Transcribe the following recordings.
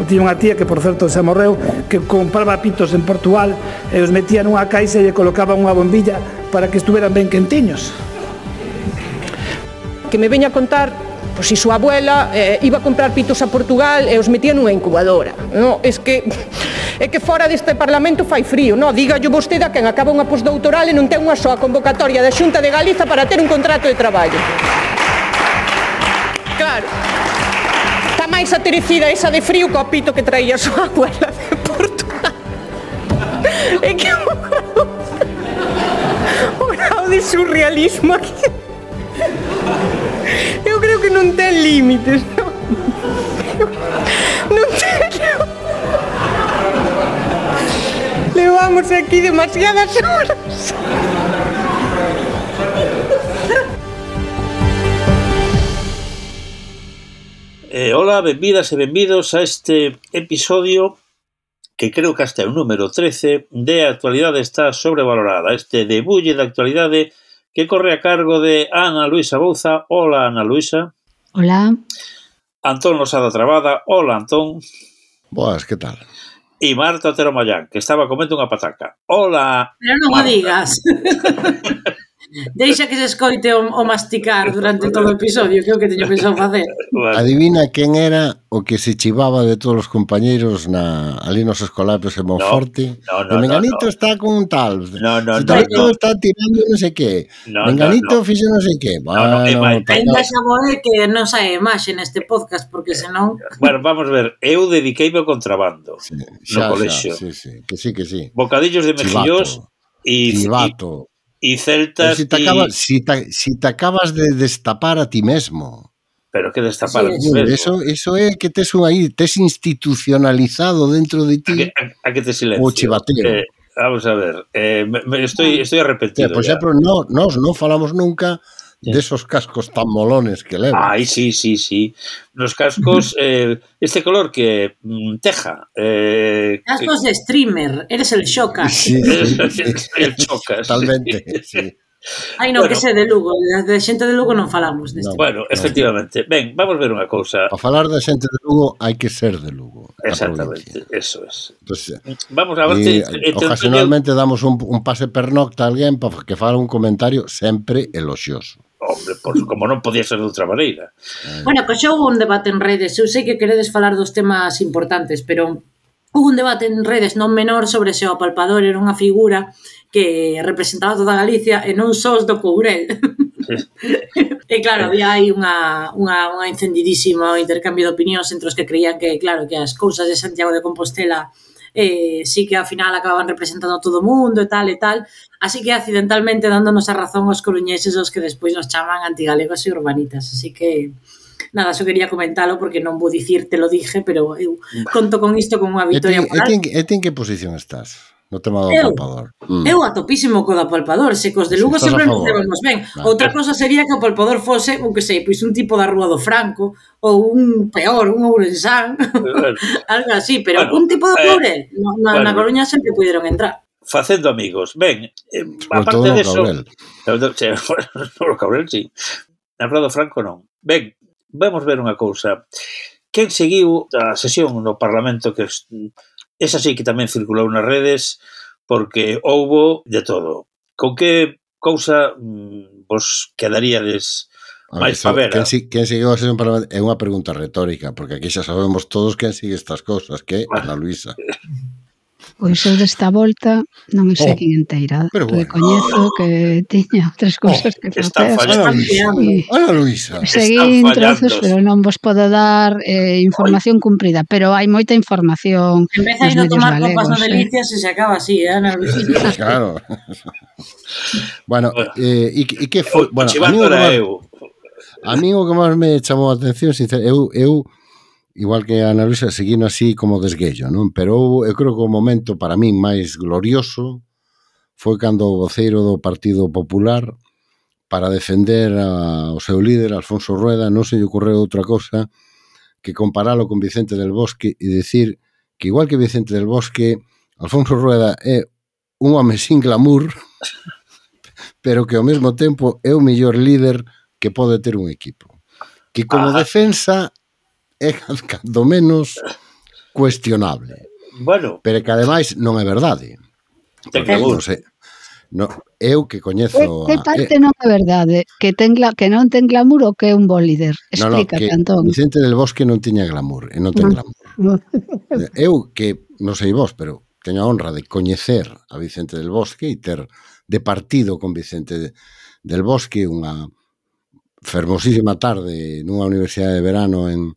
Eu tiña unha tía que, por certo, xa morreu, que compraba pitos en Portugal e os metía nunha caixa e lle colocaba unha bombilla para que estuveran ben quentiños. Que me veña a contar, pois si súa abuela iba a comprar pitos a Portugal e os metía nunha incubadora. No, é que fora deste Parlamento fai frío, no? Dígallo vostede a quen acaba unha postdoutoral e non ten unha soa convocatoria da Xunta de Galiza para ter un contrato de traballo. Claro. Está máis aterecida esa de frío co pito que traía a súa abuela de Portugal. É que o grau de surrealismo aquí. Eu creo que non ten límites, non? Non ten... Levamos aquí demasiadas horas. Hola, benvidas e benvidos a este episodio que creo que hasta é o número 13 de Actualidade está sobrevalorada. Este debulle de actualidade que corre a cargo de Ana Luisa Bouza. Hola, Ana Luisa. Hola. Antón Losada Trabada. Hola, Antón. Boas, que tal? E Marta Otero Mayán, que estaba comendo unha pataca. Hola, pero non Marta. o digas. Deixa que se escoite o masticar durante todo o episodio, que é o que teño pensado facer. Bueno. Adivina quen era o que se chivaba de todos os compañeiros ali nos escolapos en Monforte. No, Menganito está con un tal. No. Está tirando non sei que. Menganito fixo non sei que. Ainda xa voe que non sae imaxe neste podcast, porque senón... Bueno, vamos a ver, eu dediqueime ao contrabando no colexio. Sí, que sí. Bocadillos de mexillós e celtas. Si te acabas de destapar a ti mesmo. Pero que destapar a ti mesmo? Eso é que tes institucionalizado dentro de ti. A que te silencio. O chivateo. Vamos a ver, estoy arrepentido. Por exemplo, nós non falamos nunca desos cascos tan molones que levas. Ai, sí. Nos cascos, este color que teja. Cascos de streamer, eres el Xocas. Sí. El Xocas. Totalmente, sí. Ai, non, que sé de Lugo, de xente de Lugo non falamos deste. Bueno, efectivamente. Ben, vamos ver unha cousa. Para falar da xente de Lugo hai que ser de Lugo. Exactamente, eso es. Entonces, vamos a ver... Ocasionalmente damos un pase pernocta a alguén para que fale un comentario sempre eloxioso. Hombre, como non podía ser de outra maneira. Bueno, pois xa hubo un debate en redes. Eu sei que queredes falar dos temas importantes, pero hubo un debate en redes non menor sobre se o apalpador era unha figura que representaba toda Galicia e non só os do Courel. E claro, había aí unha encendidísima intercambio de opinións entre os que creían que, claro, que as cousas de Santiago de Compostela sí que ao final acababan representando a todo o mundo e tal, así que accidentalmente dándonos a razón aos coruñeses os que despois nos chaman antigalegos e urbanitas, así que nada, só quería comentalo porque non vou dicir te lo dije, pero eu conto con isto como unha victoria moral. E ti en que posición estás no tema do apalpador? Eu a topísimo co do apalpador, se cos de Lugo sempre nos levamos ben. Outra cosa sería que o apalpador fose, o que sei, pois un tipo da Rúa do Franco ou un peor, un ourensán, algo así, pero un tipo de Courel na Coruña sempre puderon entrar. Facendo amigos. Ben, aparte de eso... No Caurel, sí. Na Rúa do Franco non. Ben, vamos ver unha cousa. Quen seguiu a sesión no Parlamento, que esa sí que tamén circulou nas redes, porque houbo de todo. Con que cousa vos quedaríades máis pavera? Quen seguiu a sesión Parlamento é unha pregunta retórica, porque aquí xa sabemos todos quen sigue estas cousas, que é Ana Luisa. Pois eu desta volta non me seguín inteira, recoñezo que tiña outras cousas que facer. Ana Luisa. Seguín trozos, pero non vos podo dar información cumprida, pero hai moita información nos medios galegos. Empeza a tomar copas no Delicias e se acaba así, Ana Luisa. Claro. Bueno, e que foi... A mí o que máis me chamou a atención, sinceramente, eu igual que a Ana Luisa, seguindo así como desguello, non? Pero eu creo que o momento para min máis glorioso foi cando o voceiro do Partido Popular, para defender ao seu líder, Alfonso Rueda, non se lle ocorreu outra cosa que comparalo con Vicente del Bosque e dicir que igual que Vicente del Bosque, Alfonso Rueda é un home sin glamour, pero que ao mesmo tempo é o mellor líder que pode ter un equipo. Que como defensa é cando menos cuestionable. Bueno. Pero que ademais non é verdade. Ten glamour. No, eu que coñezo... Que parte non é verdade? Que non ten glamour ou que é un bo líder? Explícate, Antón. Vicente del Bosque non tiña glamour, e non ten glamour. Eu que, non sei vos, pero teño a honra de coñecer a Vicente del Bosque e ter de partido con Vicente del Bosque unha fermosísima tarde nunha universidade de verano en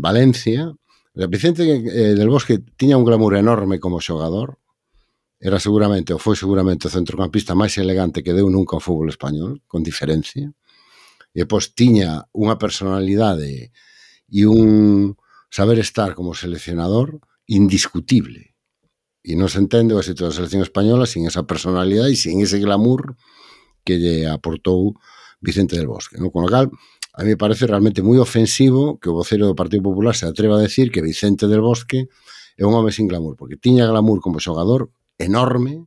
Valencia. Vicente del Bosque tiña un glamour enorme como xogador. Era seguramente, ou foi seguramente o centrocampista máis elegante que deu nunca o fútbol español, con diferencia. E depois tiña unha personalidade e un saber estar como seleccionador indiscutible. E non se entende o éxito da selección española sin esa personalidade e sin ese glamour que lle aportou Vicente del Bosque. Con lo cal, a mí me parece realmente moi ofensivo que o vocero do Partido Popular se atreva a decir que Vicente del Bosque é un home sin glamour, porque tiña glamour como xogador enorme,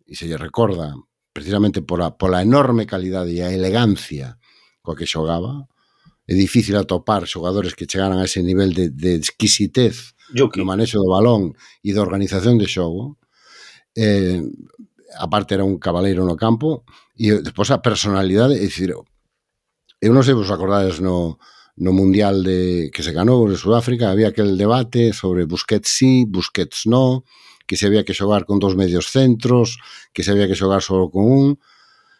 e se lle recorda precisamente pola enorme calidade e a elegancia coa que xogaba. É difícil atopar xogadores que chegaran a ese nivel de exquisitez no manexo do balón e da organización de xogo. Aparte era un cabaleiro no campo, e despois a personalidade, é dicir, eu non sei vos acordades no Mundial que se ganou en Sudáfrica, había aquel debate sobre Busquets sí, Busquets no, que se había que xogar con 2 medios centros, que se había que xogar só con un.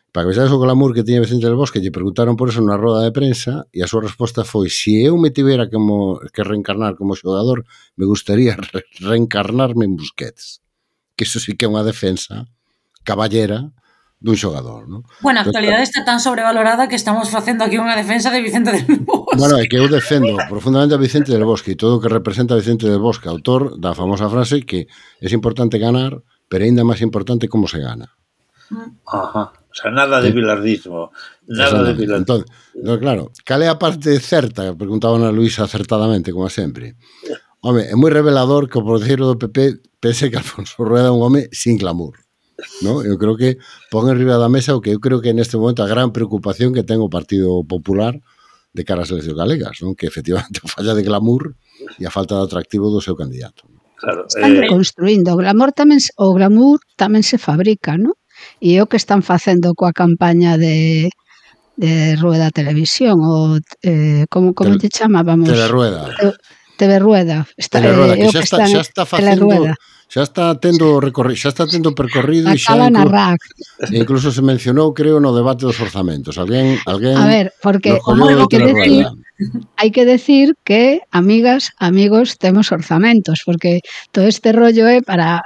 Para que vexades o glamour que tiña Vicente del Bosque, lle preguntaron por eso na roda de prensa, e a súa resposta foi: se eu me tivera que reencarnar como xogador, me gustaría reencarnarme en Busquets. Que iso sí que é unha defensa caballera dun xogador, non? Bueno, a actualidade está tan sobrevalorada que estamos facendo aquí unha defensa de Vicente del Bosque. Bueno, é que eu defendo profundamente a Vicente del Bosque e todo o que representa a Vicente del Bosque, autor da famosa frase que é importante ganar, pero ainda máis importante como se gana. Ajá. O sea, nada de bilardismo. Nada de bilardismo. Entón, claro, cal é a parte certa? Preguntaba Ana Luisa acertadamente, como sempre. Home, é moi revelador que o porteiro do PP pense que Alfonso Rueda é un home sin glamour. ¿No? Eu creo que pon en riba da mesa o que eu creo que neste momento a gran preocupación que ten o Partido Popular de cara ás eleccións galegas, non? Que efectivamente a falla de glamour e a falta de atractivo do seu candidato. Claro, están reconstruindo. O glamour tamén se fabrica, non? E é o que están facendo coa campaña de Rueda Televisión ou como te chamábamos? Telerueda. Telerueda. Telerueda, que xa está facendo... Xa está tendo percorrido e xa incluso se mencionou, creo, no debate dos orzamentos. Alguén a ver, porque hai que decir que, amigas, amigos, temos orzamentos, porque todo este rollo é para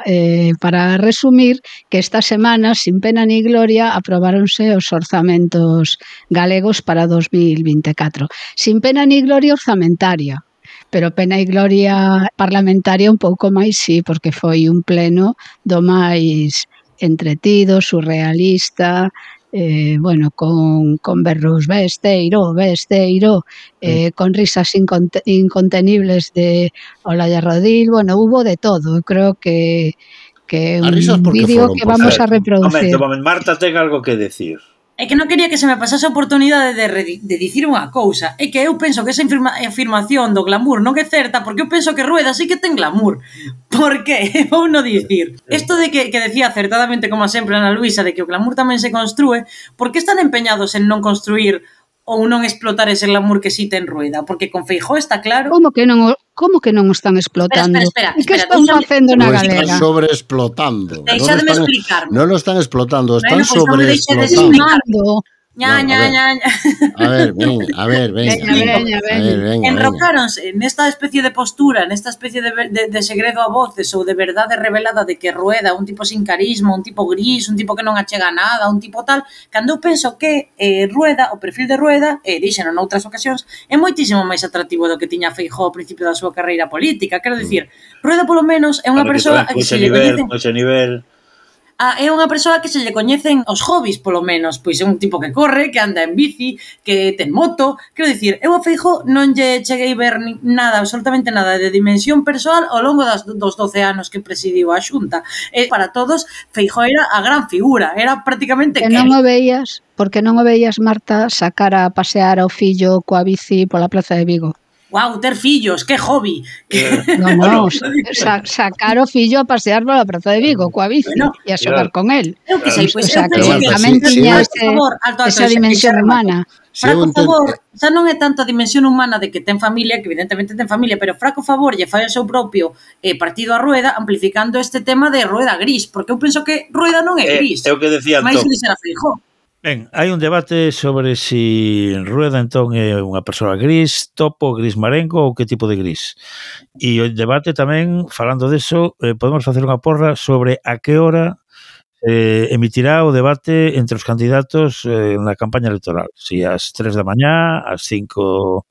resumir que esta semana, sin pena ni gloria, aprobáronse os orzamentos galegos para 2024. Sin pena ni gloria orzamentaria, pero pena e gloria parlamentaria un pouco máis, sí, porque foi un pleno do máis entretido, surrealista, bueno, con berros besteiro, con risas incontenibles de Olaya Rodil, bueno, hubo de todo. Eu creo que un vídeo que vamos a reproducir. Marta ten algo que decir. É que non quería que se me pasase a oportunidade de dicir unha cousa. É que eu penso que esa afirmación do glamour non é certa, porque eu penso que Rueda sí que ten glamour. Por qué? Vou non dicir. Isto de que decía acertadamente, como sempre, Ana Luisa, de que o glamour tamén se construe, por que están empeñados en non construir ou non explotar ese glamour que sí ten Rueda? Porque con Feijóo está claro... Como que non o están explotando? Espera, e que están facendo na galega? Están sobreexplotando. Deixademe explicarme. Non lo están explotando, están sobreexplotando. A ver, enrocáronse nesta especie de postura, nesta especie de segredo a voces ou de verdade revelada de que Rueda un tipo sin carisma, un tipo gris, un tipo que non achega nada, un tipo tal, cando eu penso que Rueda, o perfil de Rueda, díxeno noutras ocasións, é moitísimo máis atractivo do que tiña Feijóo ao principio da súa carreira política. Quero dicir, Rueda polo menos é unha persoa que se lle coñecen... é unha persoa que se lle coñecen os hobbies, polo menos. Pois é un tipo que corre, que anda en bici, que ten moto. Quero dicir, eu a Feijóo non lle cheguei ver nada, absolutamente nada de dimensión persoal ao longo dos 12 anos que presidiu a Xunta. Para todos, Feijóo era a gran figura, era prácticamente... Que non o veías, porque non o veías, Marta, sacar a pasear ao fillo coa bici pola Plaza de Vigo? Guau, ter fillos, que hobby. No, sacar o fillo a pasear pola Praza de Vigo coa bici e a xogar con el. Eu que sei, pois O sea, eu que penso que tamén tiña esa dimensión humana. Fraco favor, xa non é tanto a dimensión humana de que ten familia, que evidentemente ten familia, pero fraco favor lle fai o seu propio partido a Rueda amplificando este tema de Rueda gris, porque eu penso que Rueda non é gris. É o que decía Antón. Mais gris era Feijóo. Ben, hai un debate sobre si Rueda entón é unha persoa gris, topo, gris marengo ou que tipo de gris. E o debate tamén, falando deso, podemos facer unha porra sobre a que hora emitirá o debate entre os candidatos na campaña electoral. Si ás 3 da mañá, ás 5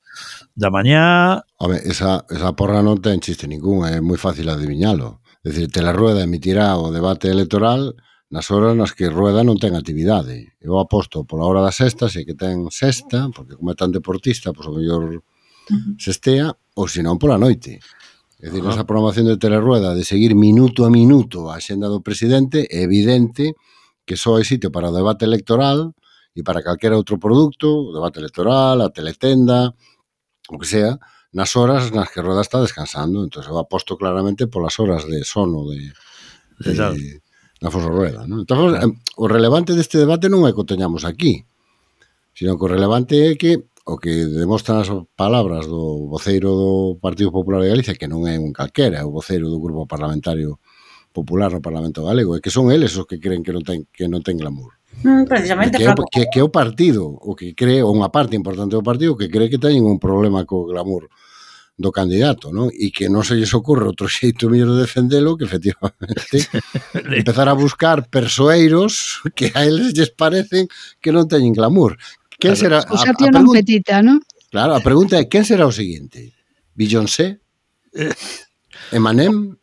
da mañá... Home, esa porra non ten chiste ningún, é moi fácil adivinhalo. É dicir, Telerrueda emitirá o debate electoral nas horas nas que Rueda non ten actividade. Eu aposto pola hora da sexta, se que ten sexta, porque como é tan deportista, pois o mellor sestea, ou senón pola noite. É dicir, esa programación de Telerrueda de seguir minuto a minuto a axenda do presidente, é evidente que só hai sitio para o debate electoral e para calquera outro produto, o debate electoral, a teletenda, o que sea, nas horas nas que Rueda está descansando. Entón, eu aposto claramente polas horas de sono de Afonso Rueda, non? Entón, o relevante deste debate non é que o teñamos aquí, sino que o relevante é que o que demostran as palabras do voceiro do Partido Popular de Galicia, que non é un calquera, é o voceiro do Grupo Parlamentario Popular no Parlamento Galego, é que son eles os que creen que non ten glamour. Precisamente, que é o partido, o que cree, ou unha parte importante do partido, que cree que teñen un problema co glamour do candidato, non? E que non se lles ocorre outro xeito mellor de defendelo que efectivamente empezar a buscar persoeiros que a eles lles parecen que non teñen glamour. Quen será a pregunta, petita, ¿no? Claro, a pregunta é quen será o seguinte? Beyoncé? Eminem?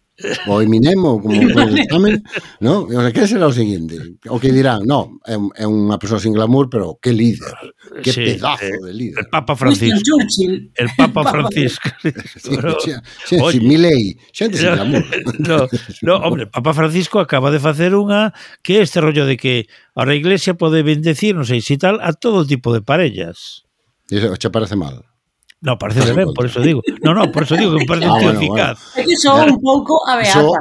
O Eminem, ou como se chamen, non? O sea, quen será o seguinte? O que dirán, non, é unha persoa sin glamour, pero que líder, que pedazo de líder. El Papa Francisco. El Papa Francisco. Sí, Milei, xente sin glamour. No, hombre, Papa Francisco acaba de facer unha que é este rollo de que a Iglesia pode bendecir, non sei se tal, a todo tipo de parellas. Iso che parece mal? No, parece ben, por eso digo. No, por eso digo que me parece un tío eficaz. É que son un pouco a beata.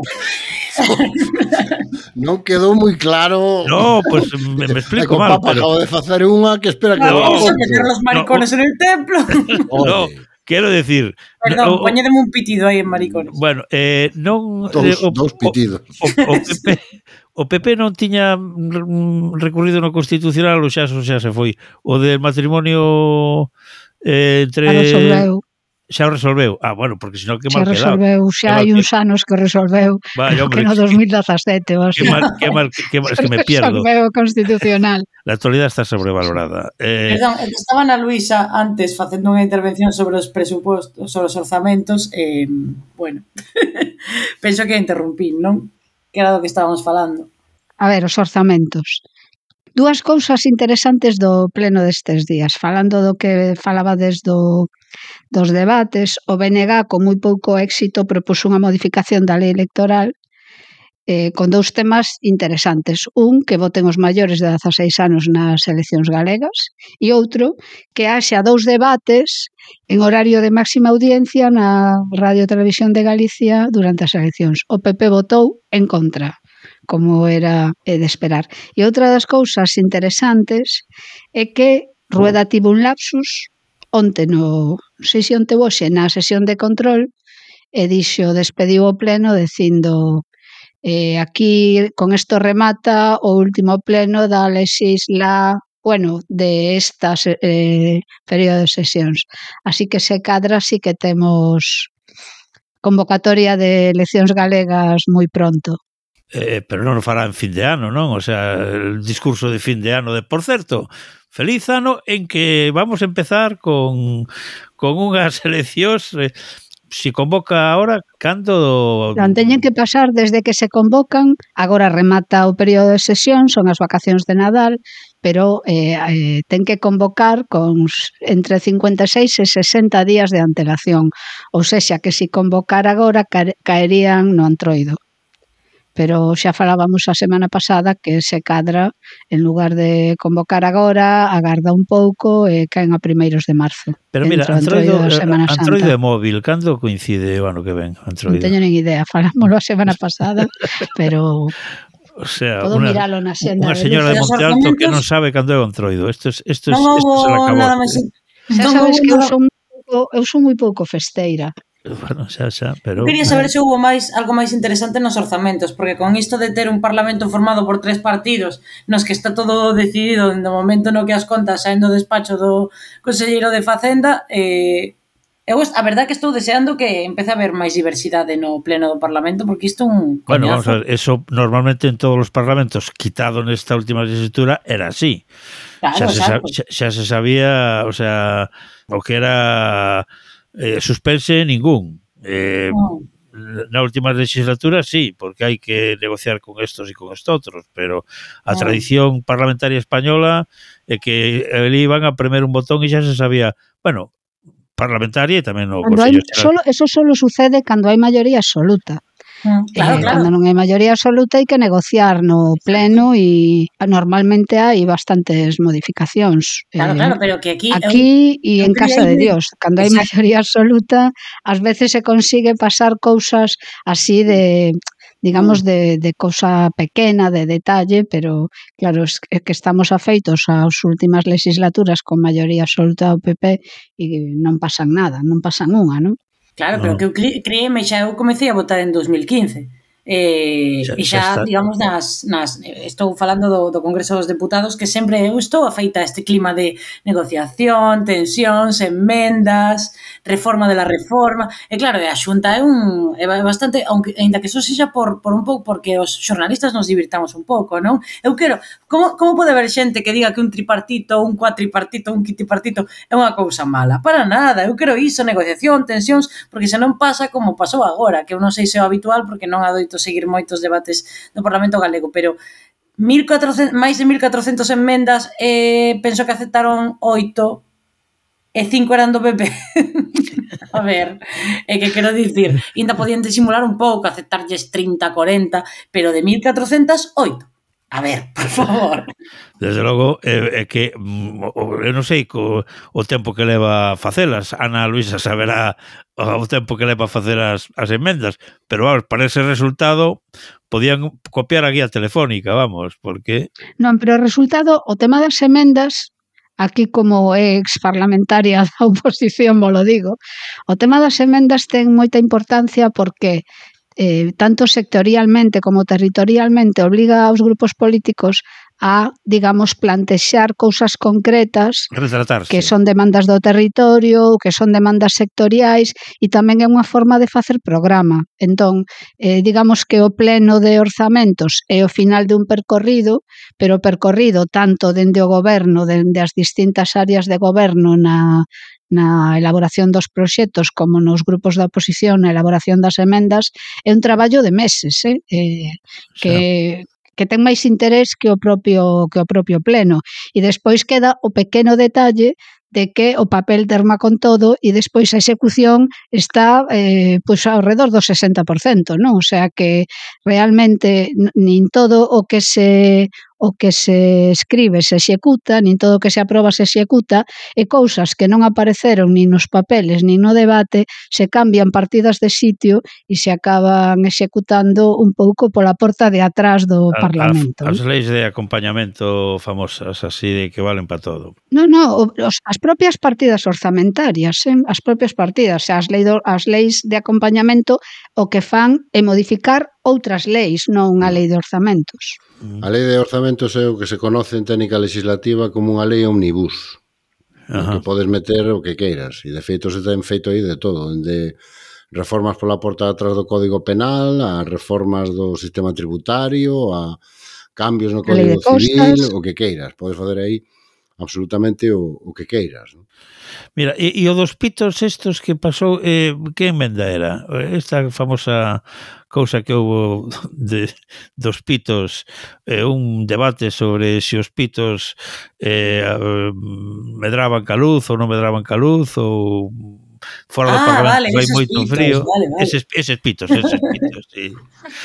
Non quedou moi claro. No, pues me explico mal. O Papa acabo de facer unha que espera que... Vamos a meter los maricones en el templo. No, quiero decir... Perdón, poñedeme un pitido aí en maricones. Bueno, non... Dos pitidos. O PP non tiña recurrido no Constitucional, ou xa se foi. O del matrimonio... xa o resolveu. Bueno, porque senón que mal quedado. Xa hai uns anos que resolveu, que no 2017 ou así. Que mal, es que me pierdo. Resolveu constitucional. La actualidad está sobrevalorada. Perdón, estaba na Luisa antes facendo unha intervención sobre os presupostos, sobre os orzamentos, bueno, penso que interrumpí, non? Que era do que estábamos falando. A ver, os orzamentos. Dúas cousas interesantes do pleno destes días. Falando do que falaba dos debates, o BNG con moi pouco éxito propuso unha modificación da lei electoral con dous temas interesantes. Un, que voten os maiores de 16 anos nas eleccións galegas, e outro, que haxa dous debates en horario de máxima audiencia na Radio Televisión de Galicia durante as eleccións. O PP votou en contra, como era de esperar. E outra das cousas interesantes é que Rueda tivo un lapsus onte na sesión na sesión de control e despediu o pleno dicindo aquí con isto remata o último pleno da de esta período de sesións. Así que se cadra, sí que temos convocatoria de eleccións galegas moi pronto. Pero non o fará en fin de ano, non? O sea, el discurso de fin de ano por certo, feliz ano en que vamos a empezar con unhas eleccións, si convoca ahora, cando... Non teñen que pasar desde que se convocan, agora remata o período de sesión, son as vacacións de Nadal, pero ten que convocar con entre 56 e 60 días de antelación, ou sexa que si convocar agora caerían no antroido. pero xa falábamos a semana pasada que se cadra, en lugar de convocar agora, agarda un pouco e caen a primeiros de marzo. Pero mira, Antroido e móvil, cando coincide o ano que ven? Non teño nin idea, falámoslo a semana pasada, pero... O sea, podo miralo na xenda. Unha señora de Monte Alto que non sabe cando é o Antroido. Isto se le acabou. Xa sabes que eu son moi pouco festeira. Bueno, xa, pero... Quería saber se houve algo máis interesante nos orzamentos, porque con isto de ter un parlamento formado por 3 partidos, nos que está todo decidido no momento no que as contas saen do despacho do conselleiro de Facenda, eu a verdade que estou deseando que empece a haber máis diversidade no pleno do Parlamento, porque isto é un coñazo. Bueno, vamos a ver, eso normalmente en todos os parlamentos, quitado nesta última legislatura, era así. Claro, xa se sabía, o sea, o que era suspense ningún. Na última legislatura sí, porque hai que negociar con estos e con estotros, pero a tradición parlamentaria española é que ali iban a premer un botón e xa se sabía, bueno, parlamentaria e tamén no Consello Xeral. Eso solo sucede cando hai maioría absoluta. Claro. Cando non hai maioría absoluta hai que negociar no pleno e normalmente hai bastantes modificacións. Claro, pero que aquí e en casa de Dios, cando hai maioría absoluta, ás veces se consigue pasar cousas así de... digamos, de cousa pequena, de detalle, pero, claro, é que estamos afeitos ás últimas legislaturas con maioría absoluta do PP e non pasan nada, non pasan unha, non? Claro, pero que eu creíme, xa eu comecei a votar en 2015. E xa, digamos, estou falando do Congreso dos Deputados, que sempre eu estou afeita a este clima de negociación, tensións, enmendas, reforma de la reforma, e claro, a Xunta é bastante, aínda que só sexa por un pouco, porque os xornalistas nos divirtamos un pouco, non? Eu quero, como pode haber xente que diga que un tripartito, un cuatripartito, un quintipartito é unha cousa mala? Para nada, eu quero iso, negociación, tensións, porque se non pasa como pasou agora, que eu non sei se é o habitual, porque non adoito seguir moitos debates do Parlamento Galego, pero máis de 1.400 enmendas, penso que aceptaron 8 e 5 eran do PP. A ver, é que quero dicir, ainda podían disimular un pouco, aceptarlles 30, 40, pero de 1.400, 8. A ver, por favor. Desde logo, é que eu non sei o tempo que leva a facelas. Ana Luisa saberá o tempo que leva a facer as enmendas, pero vamos, para ese resultado podían copiar a guía telefónica, vamos, porque... Non, pero o resultado, o tema das emendas, aquí como ex parlamentaria da oposición, vos lo digo, o tema das emendas ten moita importancia porque... tanto sectorialmente como territorialmente obliga aos grupos políticos a, digamos, plantexar cousas concretas que son demandas do territorio, que son demandas sectoriais e tamén é unha forma de facer programa. Entón, digamos que o pleno de orzamentos é o final de un percorrido, pero o percorrido tanto dende o goberno, dende as distintas áreas de goberno na elaboración dos proxectos como nos grupos da oposición na elaboración das emendas, é un traballo de meses, que ten máis interés que o propio pleno. E despois queda o pequeno detalle de que o papel terma con todo e despois a execución está pois ao redor do 60%, non? O sea que realmente nin todo o que se escribe se executa, nin todo o que se aproba se executa, e cousas que non apareceron nin nos papeles nin no debate se cambian partidas de sitio e se acaban executando un pouco pola porta de atrás do Parlamento. As leis de acompañamento famosas, así de que valen para todo. Non, as propias partidas orzamentarias, as propias partidas, as leis de acompañamento o que fan é modificar outras leis, non unha lei de orzamentos. A lei de orzamentos é o que se conoce en técnica legislativa como unha lei omnibus, que podes meter o que queiras, e de feito se ten feito aí de todo, de reformas pola porta de atrás do Código Penal, a reformas do sistema tributario, a cambios no Código Civil, o que queiras, podes fazer aí absolutamente o que queiras, non? Mira, e o dos pitos estos que pasou, que emenda era? Esta famosa cousa que houve dos pitos, un debate sobre se os pitos medraban ca luz ou non medraban ca luz, ou fora do Parlamento vale, vai eses moito pitos, frío. vale. Eses pitos, sí.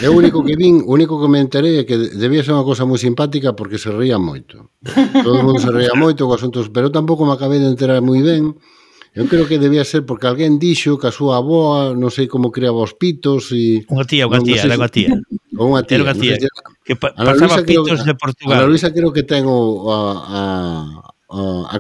O único que me enterei é que debía ser unha cosa moi simpática porque se ría moito. Todo o mundo se ría moito con asuntos, pero tampouco me acabei de enterar moi ben. Eu creo que debía ser porque alguén dixo que a súa avoa non sei como criaba os pitos e... Unha tía, era unha tía. Ou unha tía. Era unha tía que Ana pasaba Luisa creo pitos de Portugal. Ana Luisa creo que ten a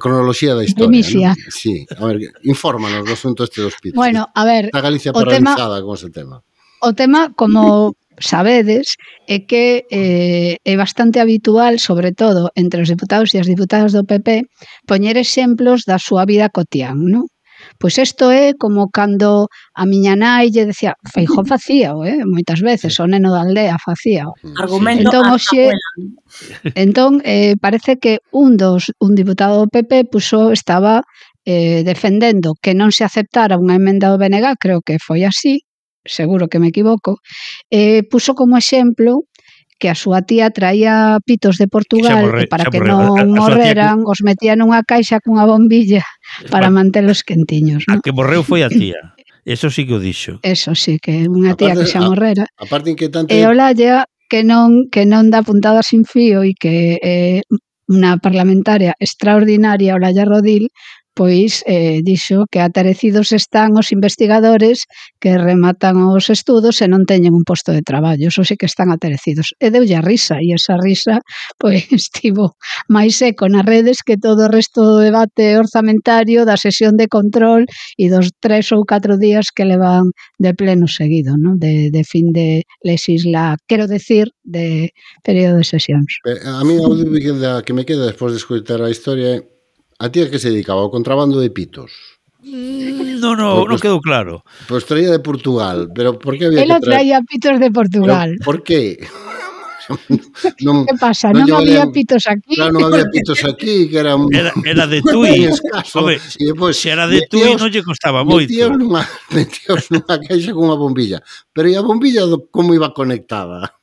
cronoloxía da historia, Primicia. ¿no? Sí, a ver, infórmanos do asunto este dos pitos. Bueno, a ver, Está Galicia o tema- paralizada con ese tema. O tema, como sabedes, é que é bastante habitual, sobre todo entre os deputados e as diputadas do PP, poñer exemplos da súa vida cotián, non? Pois isto é como cando a miña nai lle decía, Feijóo facíao, moitas veces, o neno da aldea facíao. Argumento Entón, a hoxe, abuela. entón parece que un diputado do PP estaba defendendo que non se aceptara unha emenda do BNG, creo que foi así, seguro que me equivoco, puso como exemplo que a súa tía traía pitos de Portugal e para que non morreran os metía nunha caixa cunha bombilla para mantelos quentiños, A non? que morreu foi a tía. Eso sí que o dixo. Eso sí, que unha tía que xa morrera. A parte inquietante... E Olalla que non dá puntada sin fío e que é unha parlamentaria extraordinaria, Olalla Rodil, pois dixo que atarecidos están os investigadores que rematan os estudos e non teñen un posto de traballo, eso sí que están atarecidos. E deulle a risa, e esa risa pois estivo máis seco nas redes que todo o resto do debate orzamentario, da sesión de control e dos 3 ou 4 días que levan de pleno seguido, ¿no? De fin de legisla, quero decir, de período de sesións. A mí a dúbida que me queda despois de escoitar a historia é a tía que se dedicaba ao contrabando de pitos. Non quedou claro. Pois traía de Portugal, pero por que había Ela que traer? traía pitos de Portugal. Pero, por que? Que pasa? Non había pitos aquí? Claro, non había pitos aquí, que era de Tui. escaso. Home, se era de Tui non lle costaba moito. Metíos nunha caixa con unha bombilla. Pero e a bombilla como iba conectada?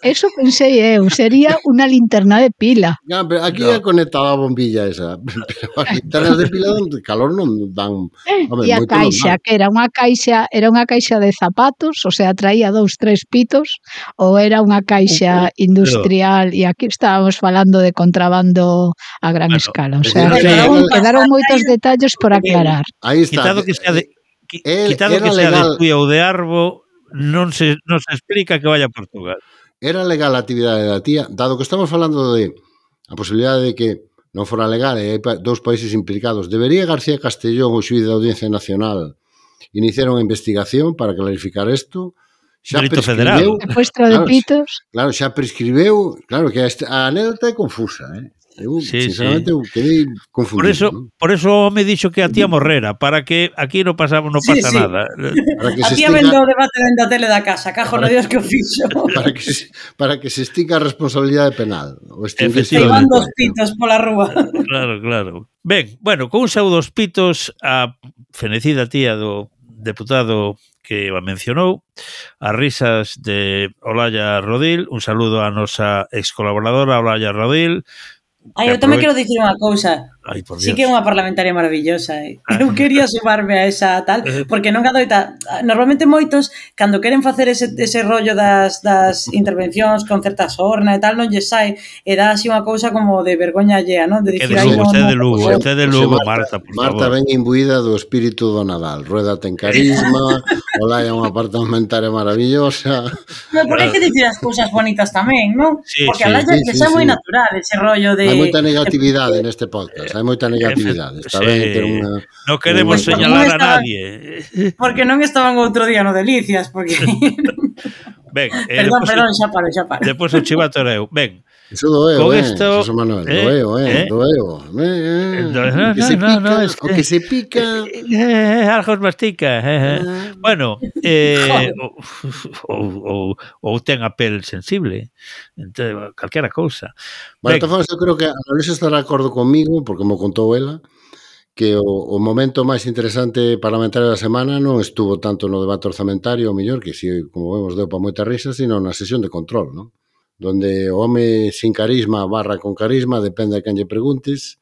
Eso pensei eu, sería unha linterna de pila. No, pero aquí é conectada a bombilla esa. Pero as linternas de pila de calor non dan. E a caixa, que era unha caixa de zapatos, o sea, traía 2-3 pitos, ou era unha caixa industrial, e aquí estábamos falando de contrabando a gran escala. O sea, quedaron moitos detalles por aclarar. Aí está. Quitado que sea de Tui ou de Arbo, non se explica que vaya a Portugal. Era legal a actividade da tía, dado que estamos falando de a posibilidade de que non fora legal e hai dous países implicados. Debería García Castellón, o xuíz da Audiencia Nacional, iniciar unha investigación para clarificar isto. Xa delito prescribeu. Secuestro de pitos. Claro, xa prescribeu. Claro que a anécdota é confusa, Eu, sinceramente, eu quedei confundido. Por eso me dixo que a tía morrera, para que aquí non pasa nada. A tía vendo o debate dentro da tele da casa, cajo no Dios que o fixo. Para que se estica a responsabilidade penal. Ceibando os pitos pola rúa. Claro. Ben, bueno, con un saúdo aos pitos a fenecida tía do deputado que a mencionou, as risas de Olalla Rodil, un saludo á nosa ex colaboradora Olalla Rodil. Eu tamén quero dicir unha cousa. Sí que é unha parlamentaria maravillosa. Eu quería sumarme a esa tal, porque non adoita. Normalmente moitos, cando queren facer ese rollo das intervencións con certa sorna e tal, non lle sai, e dá así unha cousa como de vergoña allea, non? De dicir, usted de Lugo, Marta, por favor. Marta ven imbuída do espírito do Nadal. Rueda ten carisma, Olaya é unha parlamentaria maravillosa. Pero por que dicir as cousas bonitas tamén, non? Porque a Olaya que xa é moi natural ese rollo de... Hai moita negatividade neste podcast, hai moita negatividade. Está ben ter unha... Non queremos señalar a nadie. Porque non estaban outro día no Delicias, porque... Ben, perdón, xa paro. Depois o chivato era eu. Ben, Iso doeu, José Manuel, doeu. O que se pica... Algo mastica. Bueno, ou ten a pel sensible, calquera cousa. Bueno, eu creo que a Luisa estará de acordo comigo, porque me contou ela, que o momento máis interesante parlamentario da semana non estuvo tanto no debate orzamentario, o mellor, que si, como vemos, deu para moita risa, sino na sesión de control, non? Donde o home sin carisma barra con carisma, depende de quen lle preguntes,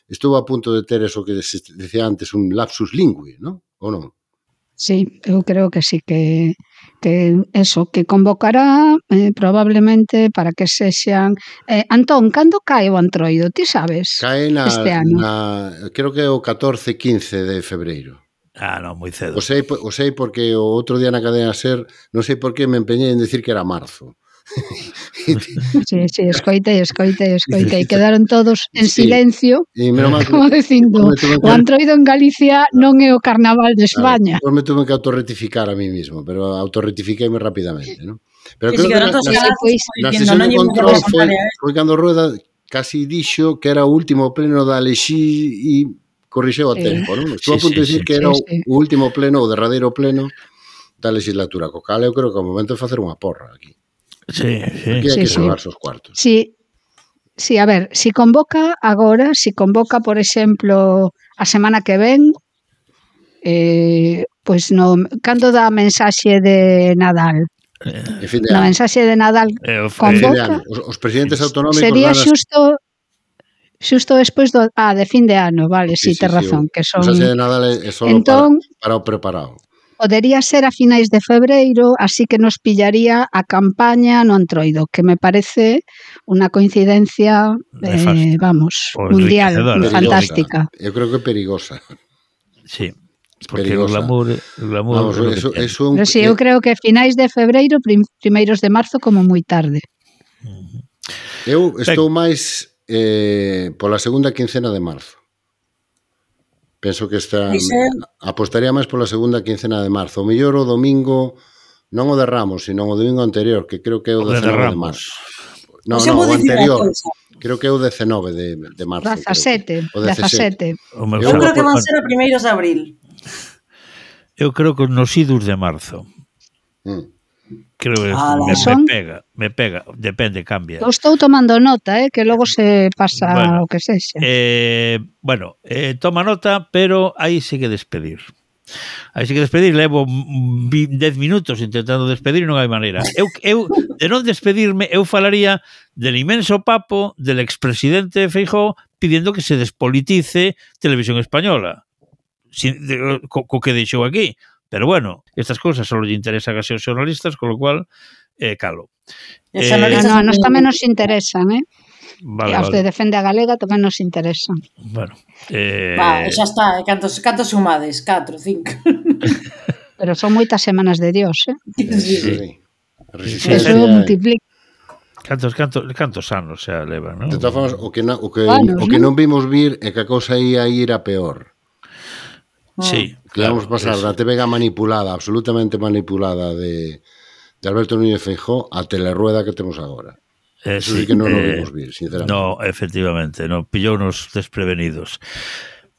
estou a punto de ter eso que se decía antes, un lapsus lingüi, non? Ou non? Sí, eu creo que sí, que eso, que convocará probablemente para que sexan... Antón, cando cae o Antroido, ti sabes? Cae este ano. Creo que é o 14-15 de febreiro. Non, moi cedo. O sei porque o outro día na cadena SER, non sei por que me empeñei en decir que era marzo. Sí, escoitei, quedaron todos en silencio, como dicindo, o Antroido en Galicia non é o carnaval de España. Pois me tuve que autorrectificar a mí mismo, pero autorrectifiqueime rapidamente, non? Pero creo que na sesión de control foi cando Rueda casi dixo que era o último pleno da Lexí e corrixeu a tempo, non? Estou a punto de dicir que era o último pleno, o derradeiro pleno da legislatura, co cal eu creo que é o momento de facer unha porra aquí. Sí. Aquí hai que salvarse os cuartos. Sí, a ver, si convoca agora, por exemplo, a semana que ven, pois cando dá a mensaxe de Nadal? Na mensaxe de Nadal convoca... Os presidentes autonómicos... Sería xusto despois de fin de ano, vale, si, tes razón, que son... O mensaxe de Nadal é solo para o preparado. Podería ser a finais de febreiro, así que nos pillaría a campaña no Antroido, que me parece unha coincidencia, mundial, fantástica. Eu creo que é perigosa. Sí, porque o glamour... Pero sí, eu creo que finais de febreiro, primeiros de marzo, como moi tarde. Eu estou máis pola segunda quincena de marzo. Penso que apostaría máis pola segunda quincena de marzo. O mellor o domingo, non o de Ramos, sino o domingo anterior, que creo que é o 19 de marzo. Non, o anterior. Creo que é o 19 de marzo. 17. Eu creo que van ser a primeiros de abril. Eu creo que nos idos de marzo. Creo que me pega, depende, cambia. Eu estou tomando nota, que logo se pasa o que sexa. Toma nota, pero aí sí que despedir. Levo 10 minutos intentando despedir e non hai maneira. Eu de non despedirme, eu falaría del inmenso papo del expresidente Feijóo pidiendo que se despolitice Televisión Española. Co que deixou aquí. Pero bueno, estas cousas só lle interesan a seus xornalistas, con lo cual, calo. A nos tamén nos interesan, Vale. Os de Defende a Galega tamén nos interesan. Bueno. Xa está, cantos sumades? 4, 5. Pero son moitas semanas de Dios, Sí. Eso multiplica. Cantos anos xa leva, non? De todas formas, o que non vimos vir é que a cousa ia ir a peor. Sí, que vamos pasar da TV manipulada, absolutamente manipulada de Alberto Núñez Feijóo a Telerueda que temos agora. Eso sí que non o vimos vir, sinceramente. No, efectivamente, pillóunos desprevenidos.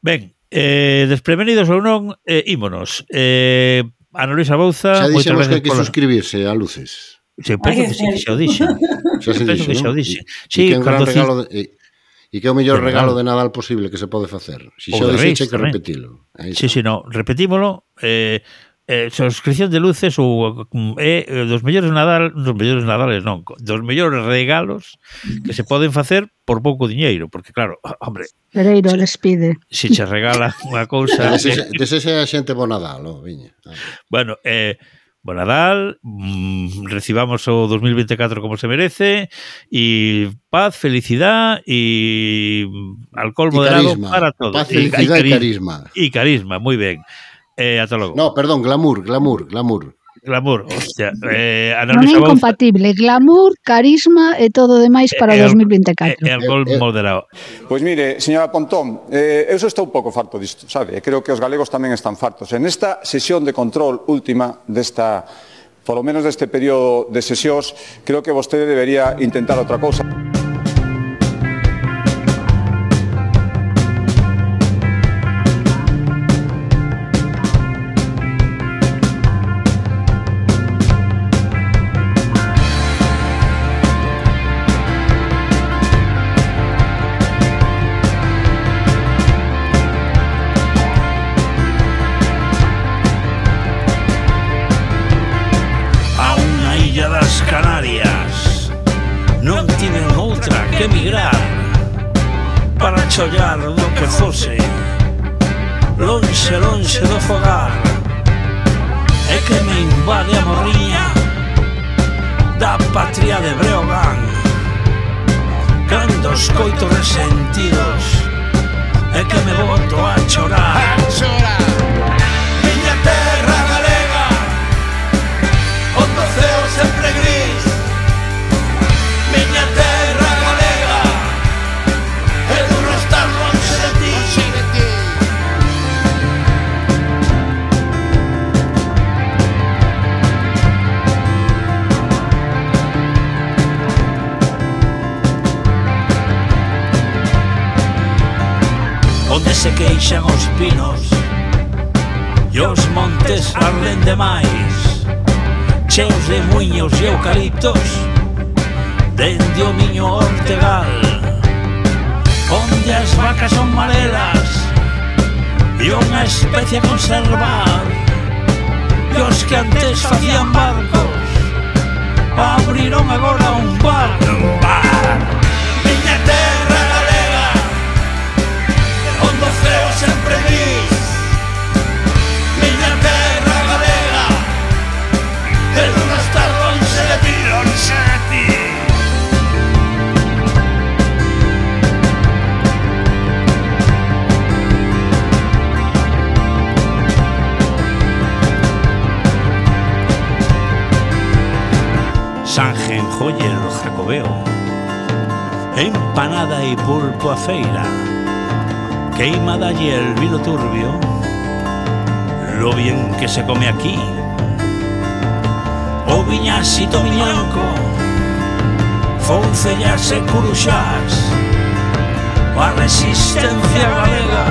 Ben, desprevenidos ou non, ímonos. Ana Luisa Bouza... Xa dixemos que hai que suscribirse a Luces. Penso que xa o dixe. Xa o dixe. Sí, que é un gran regalo de... E que é o mellor regalo de Nadal posible que se pode facer. Se xa o dixeche, hai que repetilo. Sí, repetímolo. Suscripción de Luces é dos mellores Nadales, non, dos mellores regalos que se poden facer por pouco diñeiro, porque claro, hombre... Pereiro les pide. Se che regala unha cousa... Desexe a xente bo Nadal, viña. Bueno, Bo Nadal, recibamos o 2024 como se merece e paz, felicidad e alcohol moderado para todos. Paz, felicidad e carisma. E carisma, moi ben. Ata logo. No, perdón, glamour. Glamour, hostia. Non é incompatible, glamour, carisma e todo o demais para o 2024. E alcohol moderado. Pois mire, señora Pontón, eu só estou un pouco farto disto, sabe? Creo que os galegos tamén están fartos. En esta sesión de control última desta, polo menos deste período de sesións, creo que vostede debería intentar outra cousa. Canarias non tiven outra que emigrar para chollar do que fose, lonxe, lonxe do fogar. É que me invade a morriña da patria de Breogán. Cando os coito resentidos, é que me boto a chorar. Miña terra galega, onde o ceo sempre gris. Miña terra galega, é duro estar lonxe de ti. Onde se queixan os pinos e os montes arden demais, cheos de muiños e eucaliptos dende o miño Ortegal, onde as vacas son marelas e unha especie a conservar, e os que antes facían barcos abriron agora un bar. Miña terra galega, onde o ceo sempre gris. Miña terra galega, é duro estar lonxe de ti, lonxe de ti. Sanjenjoyer Jacobeo, empanada y pulpo a feira, queimada y el vino turbio, lo bien que se come aquí. O viñasito miñanco, foncellas e curuxás, a resistencia galega,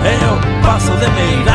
e o pazo de Meirás.